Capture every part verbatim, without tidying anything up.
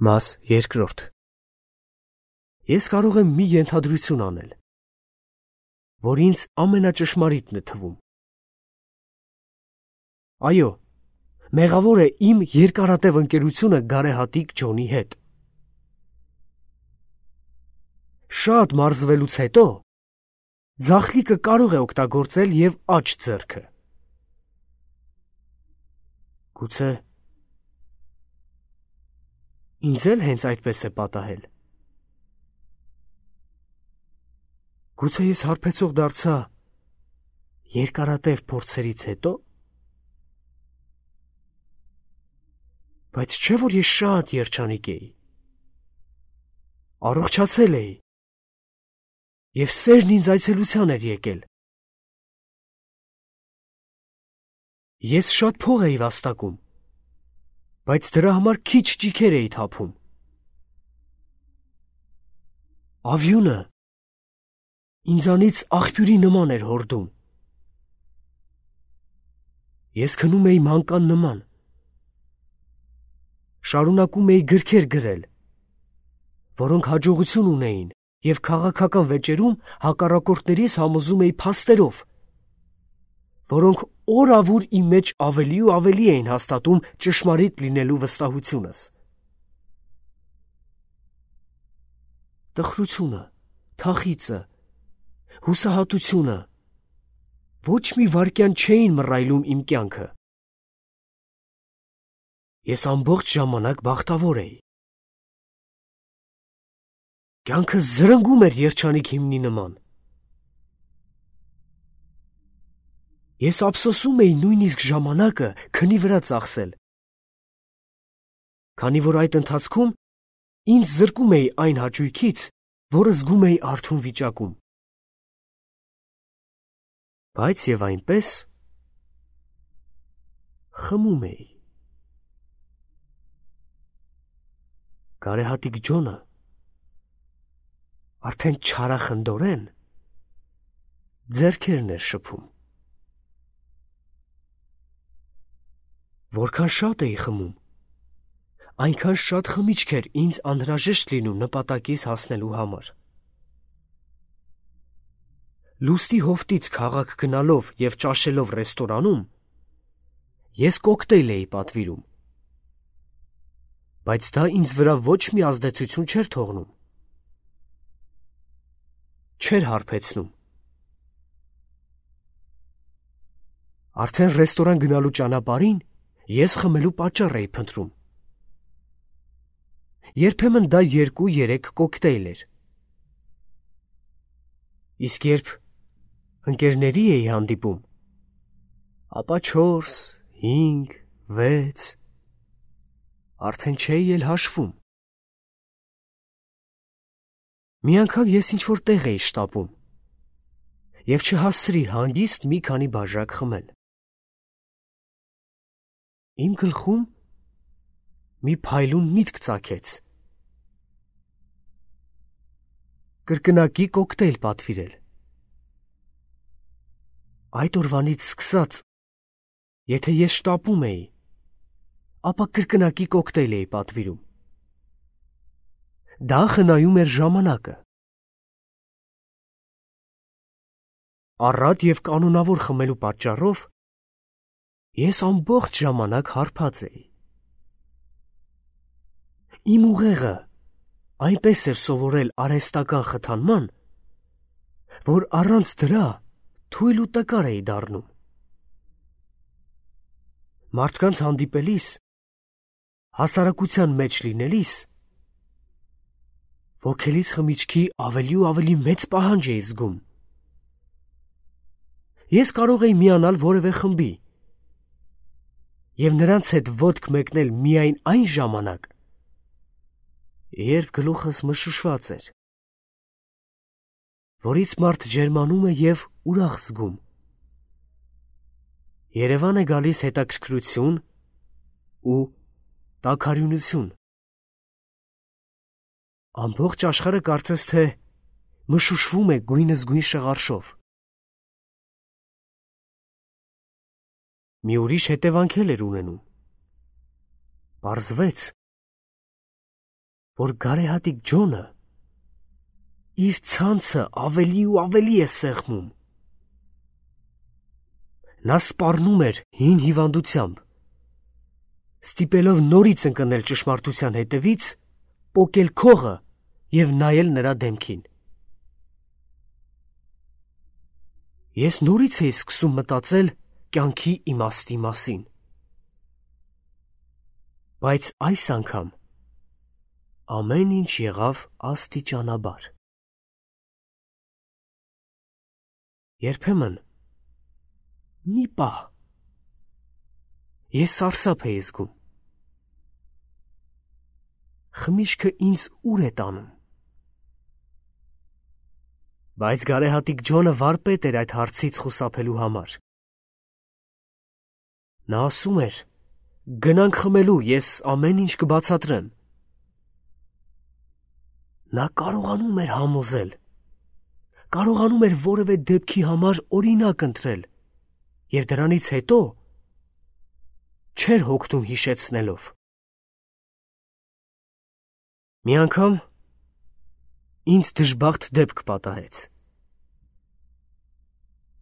Մաս երկրորդ. Ես կարող եմ մի ենթադրություն անել, որ ինձ ամենաճշմարիտն է թվում։ Այո, մեղավոր է իմ երկարատև ընկերությունը գարեհատիկ Ջոնի հետ։ Շատ մարզվելուց հետո ձախլիկը կարող է օգտագործել և աջ ձեռքը։ Գուցե ինձ էլ հենց այդպես է պատահել։ Գուցե ես հարբեցող դարձա երկարատև փորձերից հետո։ Բայց չէ՞ որ ես շատ երջանիկ էի։ Առողջացել էի, և սերն ինձ այցելության էր եկել։ Ես շատ փող էի վաստակում, բայց դրա համար քիչ ճիգեր էի թափում։ Ավյունը ինձանից աղբյուրի նման էր հորդում։ Ես քնում էի մանկան նման։ Շարունակում էի գրքեր գրել, որոնք հաջողություն ունեին, և քաղաքական վեճերում հակառակորդներիս համոզում էի փաստերով, որոնք օր-ավուր իմ մեջ ավելի ու ավելի էին հաստատում ճշմարիտ լինելու վստահությունս։ Տխրությունը, թախիծը, հուսահատությունը ոչ մի վայրկյան չէին մռայլում իմ կյանքը։ Ես ամբողջ ժամանակ բախտավոր էի։ Կյանքը զրնգում էր երջանիկ հիմնի նման։ Ես ափսոսում էի նույնիսկ ժամանակը քնի վրա ծախսել, քանի որ այդ ընթացքում ինձ զրկում էի այն հաճույքից, որը զգում էի արթուն վիճակում։ Բայց և այնպես խմում էի։ Գարեհատիկ Ջոնը արդեն չարախնդորեն ձեռքերն էր շփում։ Որքան շատ էի խմում, այնքան շատ խմիչք էր ինձ անհրաժեշտ լինում նպատակիս հասնելու համար։ Լուսնի հովտից քաղաք գնալով և ճաշելով ռեստորանում, ես կոկտեյլ էի պատվիրում, բայց դա ինձ վրա ոչ մի ազդեցություն չէր թողնում։ Չէր հարբեցնում։ Արդեն ռեստորան գնալու ճանապարհին ես խմելու պատճառ էի փնտրում։ Երբեմն դա երկու-երեք կոկտեյլ էր։ Իսկ երբ ընկերների էի հանդիպում, ապա չորս, հինգ, վեց, արդեն չէի էլ հաշվում։ Մի անգամ ես ինչ-որ տեղ էի շտապում և չհասցրի հանգիստ մի քանի բաժակ խմել։ Իմ գլխում մի փայլուն միտք ծագեց. կրկնակի կոկտեյլ պատվիրել։ Այդ օրվանից սկսած, եթե ես շտապում էի, ապա կրկնակի կոկտեյլ էի պատվիրում։ Դա խնայում էր ժամանակը։ Առատ և կանոնավոր խմելու պատճառով ես ամբողջ ժամանակ հարբած էի։ Իմ ուղեղը այնպես էր սովորել արհեստական խթանման, որ առանց դրա թույլ ու տկար էի դառնում։ Մարդկանց հանդիպելիս, հասարակության մեջ լինելիս, ոգելից խմիչքի ավելի ու ավելի մեծ պահանջ էի զգում։ Ես կարող էի միանալ որևէ խմբի և նրանց հետ ոտք մեկնել միայն այն ժամանակ, երբ գլուխս մշուշված էր, որից մարդ ջերմանում է և ուրախ զգում։ Երևան է գալիս հետաքրքրություն ու տաքարյունություն։ Ամբողջ աշխարհը կարծես թե մշուշվում է գույնզգույն շղարշով։ Մի ուրիշ հետևանք էլ էր ունենում։ Պարզվեց, որ գարեհատիկ Ջոնը իր ցանցը ավելի ու ավելի է սեղմում։ Նա սպառնում էր հին հիվանդությամբ, ստիպելով նորից ընկնել ճշմարտության հետևից, պոկել քողը և նայել նրա դեմքին։ Ես նորից էի սկսում մտածել կյանքի իմաստի մասին, բայց այս անգամ ամեն ինչ եղավ աստիճանաբար։ Երբեմն մի պահ ես սարսափ էի զգում։ Խմիչքը ինձ ուր է տանում։ Բայց գարեհատիկ Ջոնը վարպետ էր այդ հարցից խուսափելու համար։ Նա ասում էր. «Գնանք խմելու, ես ամեն ինչ կբացատրեմ»։ Նա կարողանում էր համոզել, կարողանում էր որևէ դեպքի համար օրինակ ընտրել և դրանից հետո չէր հոգնում հիշեցնելով։ Մի անգամ ինձ դժբախտ դեպք պատահեց։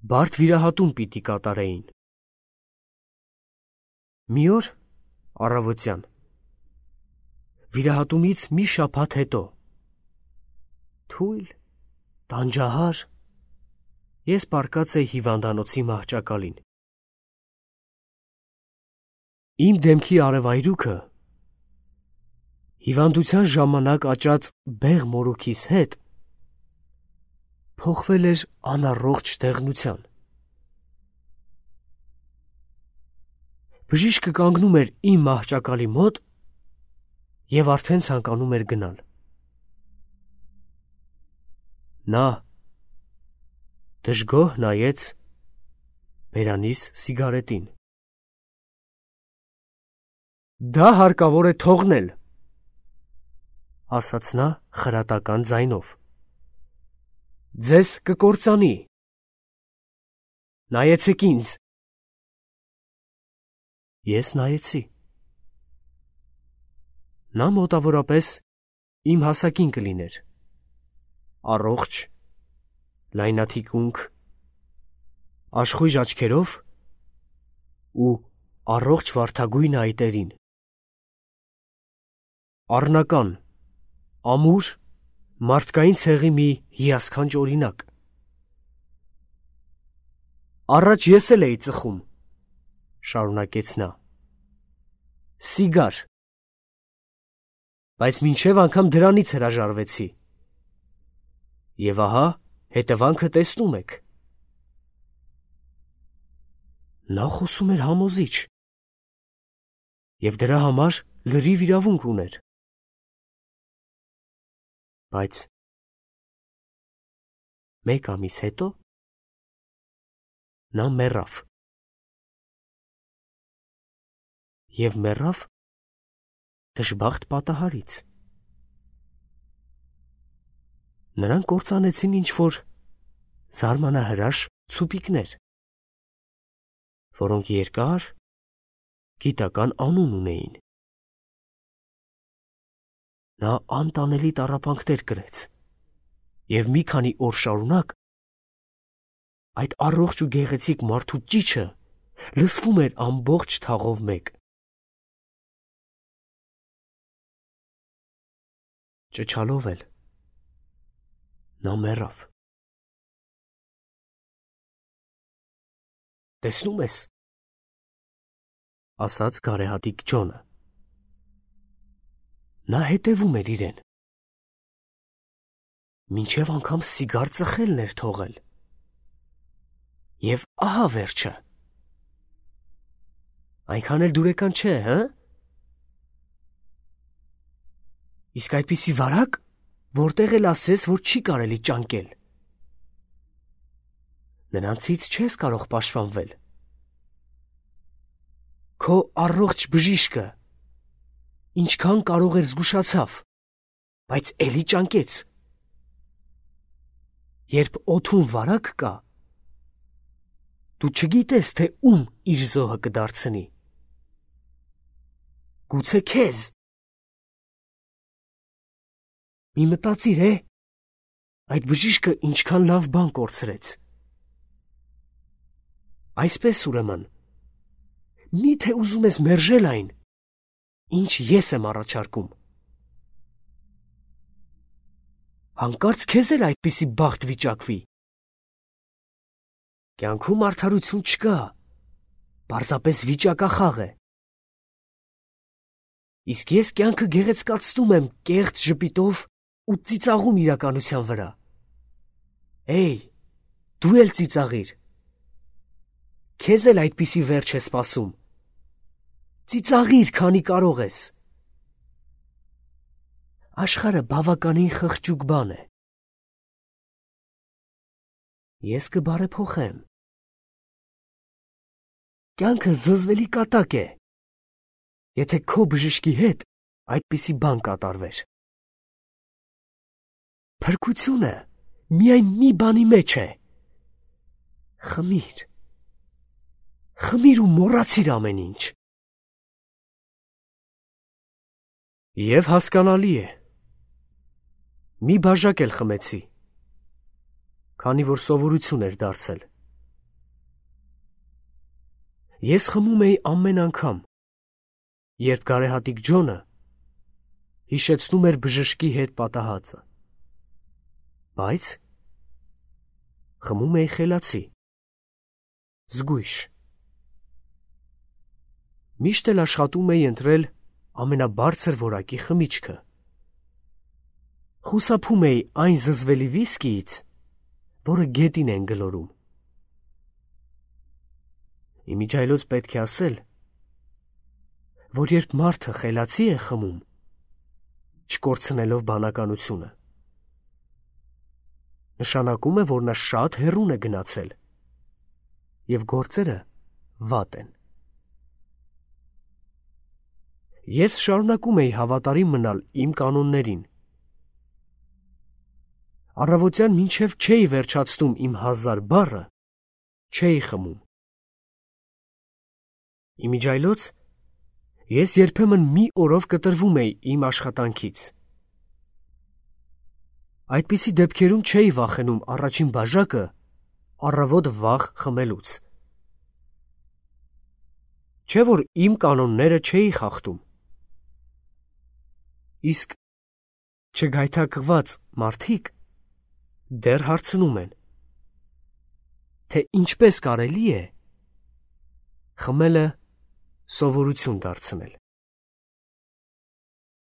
Բարդ վիրահատում պիտի կատարեին։ Մի օր առավոտյան, վիրահատումից մի շաբաթ հետո, թույլ, տանջահար, ես պառկած էի հիվանդանոցի մահճակալին։ Իմ դեմքի արևայրուքը հիվանդության ժամանակ աճած բեղ մորուքիս հետ փոխվել էր անառողջ դեղնության։ Բժիշկը կանգնում էր իմ մահճակալի մոտ և արդեն ցանկանում էր գնալ։ Նա դժգոհ նայեց բերանիս սիգարետին։ «Դա հարկավոր է թողնել», ասաց նա խրատական ձայնով։ «Ձեզ կկործանի։ Նայեցեք ինձ»։ Ես նայեցի։ Նա մոտավորապես իմ հասակին կլիներ, առողջ, լայնաթիկունք, աշխույժ աչքերով ու առողջ վարդագույն այտերին։ Առնական, ամուր, մարդկային ցեղի մի հիասքանչ օրինակ։ «Առաջ ես էլ էի ծխում», շարունակեց նա, «սիգար, բայց մինչև անգամ դրանից հրաժարվեցի։ Եվ ահա հետևանքը տեսնում եք»։ Նա խոսում էր համոզիչ և դրա համար լրիվ իրավունք ուներ։ Բայց մեկ ամիս հետո նա մեռավ։ Եվ մեռավ դժբախտ պատահարից։ Նրան կործանեցին ինչ-որ զարմանահրաշ ցուպիկներ, որոնք երկար, գիտական անուն ունեին։ Նա անտանելի տառապանքներ կրեց, և մի քանի օր շարունակ այդ առողջ ու գեղեցիկ մարդու ճիչը լսվում էր ամբողջ թաղով մեկ։ Ճչալով էլ նա մեռավ։ «Տեսնում ես», ասաց գարեհատիկ Ջոնը, նա հետևում էր իրեն, մինչև անգամ սիգար ծխելն էր թողել։ Եվ ահա վերջը։ Այնքան էլ դուրեկան չէ, հը՞։ Իսկ այդպիսի վարակ, որտեղ էլ ասես, որ չի կարելի ճանկել։ Նրանցից չես կարող պաշտպանվել։ Քո առողջ բժիշկը ինչքան կարող էր զգուշացավ, բայց էլի ճանկեց։ Երբ օդում վարակ կա, դու չգիտես, թե ում իր զոհը կդարձնի։ Գուցե քեզ։ Մի մտածիր է, այդ բժիշկը ինչքան լավ բան կորցրեց։ Այսպես ուրեմն, մի՞թե ուզում ես մերժել այն, ինչ ես եմ առաջարկում։ Հանկարծ քեզ էլ այդպիսի բախտ վիճակվի։ Կյանքում արդարություն չկա, պարզապես վիճակախաղ է։ Իսկ ես կյանքը գեղեցկացնում եմ կեղծ ժպիտով ու ծիծաղում իրականության վրա։ Էй, դու էլ ծիծաղիր։ Քեզ էլ այդպիսի վերջ է սպասում։ Ծիծաղիր, քանի կարող ես։ Աշխարհը բավականին խղճուկ բան է։ Ես կբարեփոխեմ։ Կյանքը զզվելի կատակ է, եթե քո բժշկի հետ այդպիսի բան կատարվեր։ Փրկությունը միայն մի բանի մեջ է։ Խմիր։ Խմիր ու մոռացիր ամեն ինչ։ Եվ հասկանալի է։ Մի բաժակ էլ խմեցի, քանի որ սովորություն էր դարձել։ Ես խմում էի ամեն անգամ, երբ գարեհատիկ Ջոնը հիշեցնում էր բժշկի հետ պատահածը։ Բայց խմում էի խելացի, զգույշ։ Միշտ էլ աշխատում էի ընտրել ամենաբարձր որակի խմիչքը։ Խուսափում էի այն զզվելի վիսկիից, որը գետին են գլորում։ Իմիջայլոց պետք է ասել, որ երբ մարդը խելացի է խմում, չկորցնելով բանականությունը, նշանակում է, որ նա շատ հեռուն է գնացել, և գործերը վատ են։ Ես շարունակում էի հավատարիմ մնալ իմ կանոններին։ Առավոտյան մինչև չէի վերջացնում իմ հազար բառը, չէի խմում։ Իմիջայլոց ես երբեմն մի օրով կտրվում էի իմ աշխատանքից։ Այդպիսի դեպքերում չէի վախենում առաջին բաժակը առավոտ վաղ խմելուց։ Չէ որ իմ կանոնները չէի խախտում։ Իսկ չգայթակղված մարդիկ դեռ հարցնում են, թե ինչպես կարելի է խմելը սովորություն դարձնել։